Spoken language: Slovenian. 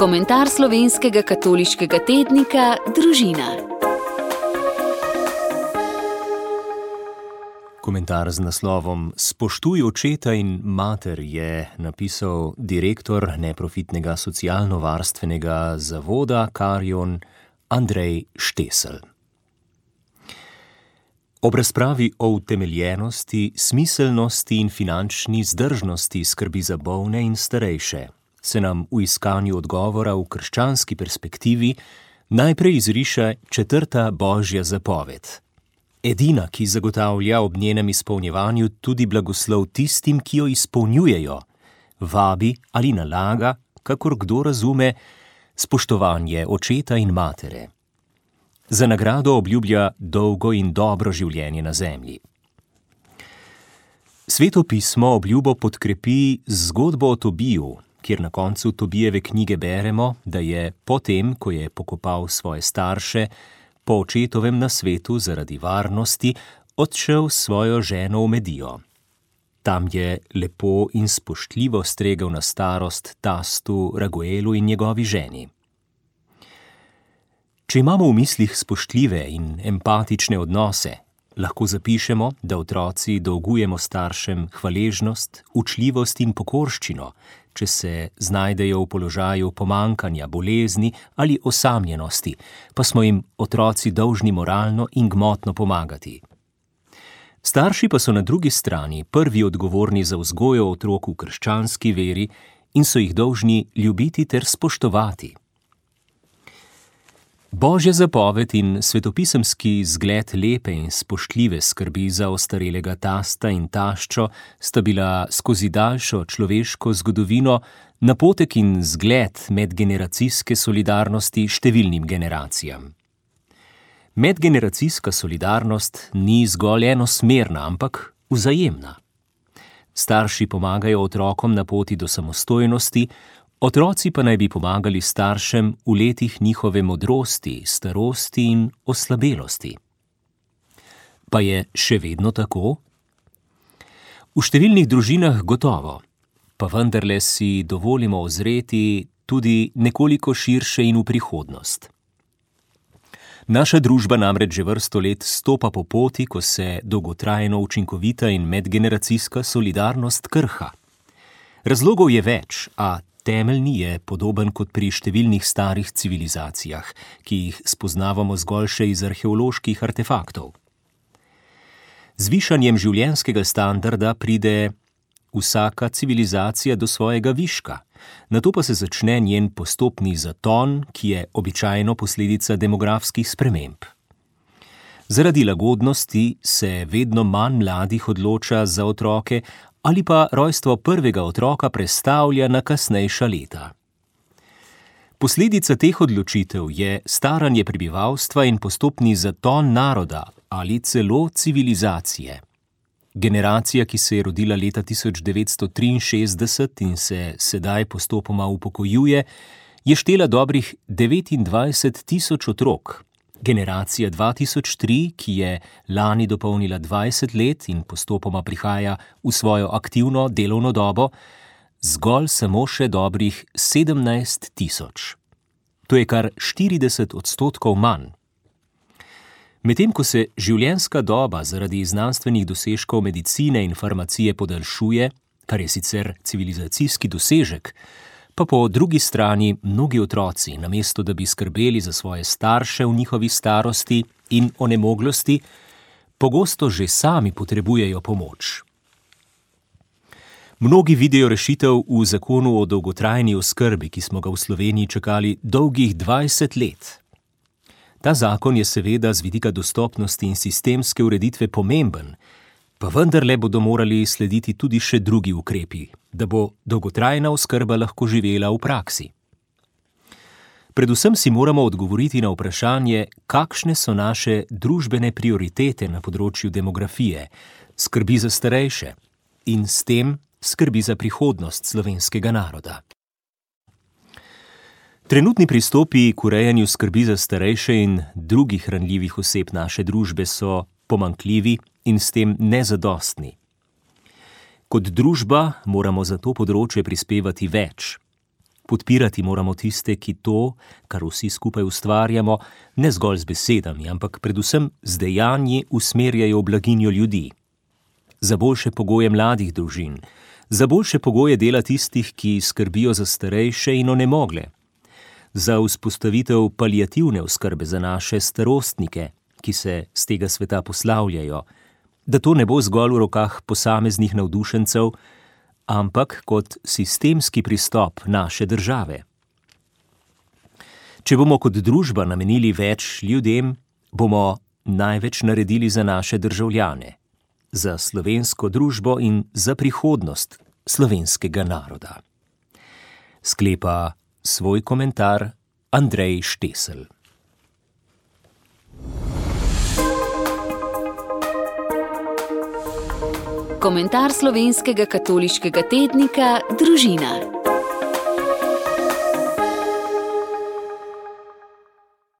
Komentar slovenskega katoliškega tednika Družina. Komentar z naslovom Spoštuj očeta in mater je napisal direktor neprofitnega socialno-varstvenega zavoda Karion Andrej Štesel. Ob razpravi o utemeljenosti, smiselnosti in finančni vzdržnosti skrbi za bolne in starejše se nam v iskanju odgovora v krščanski perspektivi najprej izriše 4. božja zapoved. Edina, ki zagotavlja ob njenem izpolnjevanju tudi blagoslov tistim, ki jo izpolnjujejo, vabi ali nalaga, kakor kdo razume, spoštovanje očeta in matere. Za nagrado obljublja dolgo in dobro življenje na zemlji. Sveto pismo obljubo podkrepi z zgodbo o Tobiju, kjer na koncu Tobijeve knjige beremo, da je potem, ko je pokopal svoje starše, po očetovem nasvetu zaradi varnosti odšel s svojo ženo v Medijo. Tam je lepo in spoštljivo stregel na starost tastu Raguelu in njegovi ženi. Če imamo v mislih spoštljive in empatične odnose, lahko zapišemo, da otroci dolgujemo staršem hvaležnost, učljivost in pokorščino, če se znajdejo v položaju pomanjkanja, bolezni ali osamljenosti, pa smo jim otroci dolžni moralno in gmotno pomagati. Starši pa so na drugi strani prvi odgovorni za vzgojo otrok v krščanski veri in so jih dolžni ljubiti ter spoštovati. Božja zapoved in svetopisemski zgled lepe in spoštljive skrbi za ostarelega tasta in taščo sta bila skozi daljšo človeško zgodovino napotek in zgled medgeneracijske solidarnosti številnim generacijam. Medgeneracijska solidarnost ni zgolj enosmerna, ampak vzajemna. Starši pomagajo otrokom na poti do samostojnosti, otroci pa naj bi pomagali staršem v letih njihove modrosti, starosti in oslabelosti. Pa je še vedno tako? V številnih družinah gotovo, pa vendarle si dovolimo ozreti tudi nekoliko širše in v prihodnost. Naša družba namreč že vrsto let stopa po poti, ko se dolgotrajno učinkovita in medgeneracijska solidarnost krha. Razlogov je več, a temeljni je podoben kot pri številnih starih civilizacijah, ki jih spoznavamo zgolj še iz arheoloških artefaktov. Z višanjem življenjskega standarda pride vsaka civilizacija do svojega viška, nato pa se začne njen postopni zaton, ki je običajno posledica demografskih sprememb. Zaradi lagodnosti se vedno manj mladih odloča za otroke, ali pa rojstvo prvega otroka prestavlja na kasnejša leta. Posledica teh odločitev je staranje prebivalstva in postopni zaton naroda ali celo civilizacije. Generacija, ki se je rodila leta 1963 in se sedaj postopoma upokojuje, je štela dobrih 29.000 otrok. Generacija 2003, ki je lani dopolnila 20 let in postopoma prihaja v svojo aktivno delovno dobo, zgolj samo še dobrih 17.000. To je kar 40% manj. Medtem ko se življenjska doba zaradi znanstvenih dosežkov medicine in farmacije podaljšuje, kar je sicer civilizacijski dosežek, pa po drugi strani mnogi otroci, namesto da bi skrbeli za svoje starše v njihovi starosti in onemoglosti, pogosto že sami potrebujejo pomoč. Mnogi vidijo rešitev v zakonu o dolgotrajni oskrbi, ki smo ga v Sloveniji čakali dolgih 20 let. Ta zakon je seveda z vidika dostopnosti in sistemske ureditve pomemben, pa vendarle bodo morali slediti tudi še drugi ukrepi, da bo dolgotrajna oskrba lahko živela v praksi. Predvsem si moramo odgovoriti na vprašanje, kakšne so naše družbene prioritete na področju demografije, skrbi za starejše in s tem skrbi za prihodnost slovenskega naroda. Trenutni pristopi k urejanju skrbi za starejše in drugih ranljivih oseb naše družbe so pomanjkljivi in s tem nezadostni. Kot družba moramo za to področje prispevati več. podpirati moramo tiste, ki to, kar vsi skupaj ustvarjamo, ne zgolj z besedami, ampak predvsem z dejanji usmerjajo v blaginjo ljudi. Za boljše pogoje mladih družin, za boljše pogoje dela tistih, ki skrbijo za starejše in onemogle, za vzpostavitev paliativne oskrbe za naše starostnike, ki se z tega sveta poslavljajo, da to ne bo zgolj v rokah posameznih navdušencev, ampak kot sistemski pristop naše države. Če bomo kot družba namenili več ljudem, bomo največ naredili za naše državljane, za slovensko družbo in za prihodnost slovenskega naroda. Sklepa svoj komentar Andrej Štesel. Komentar slovenskega katoliškega tednika Družina.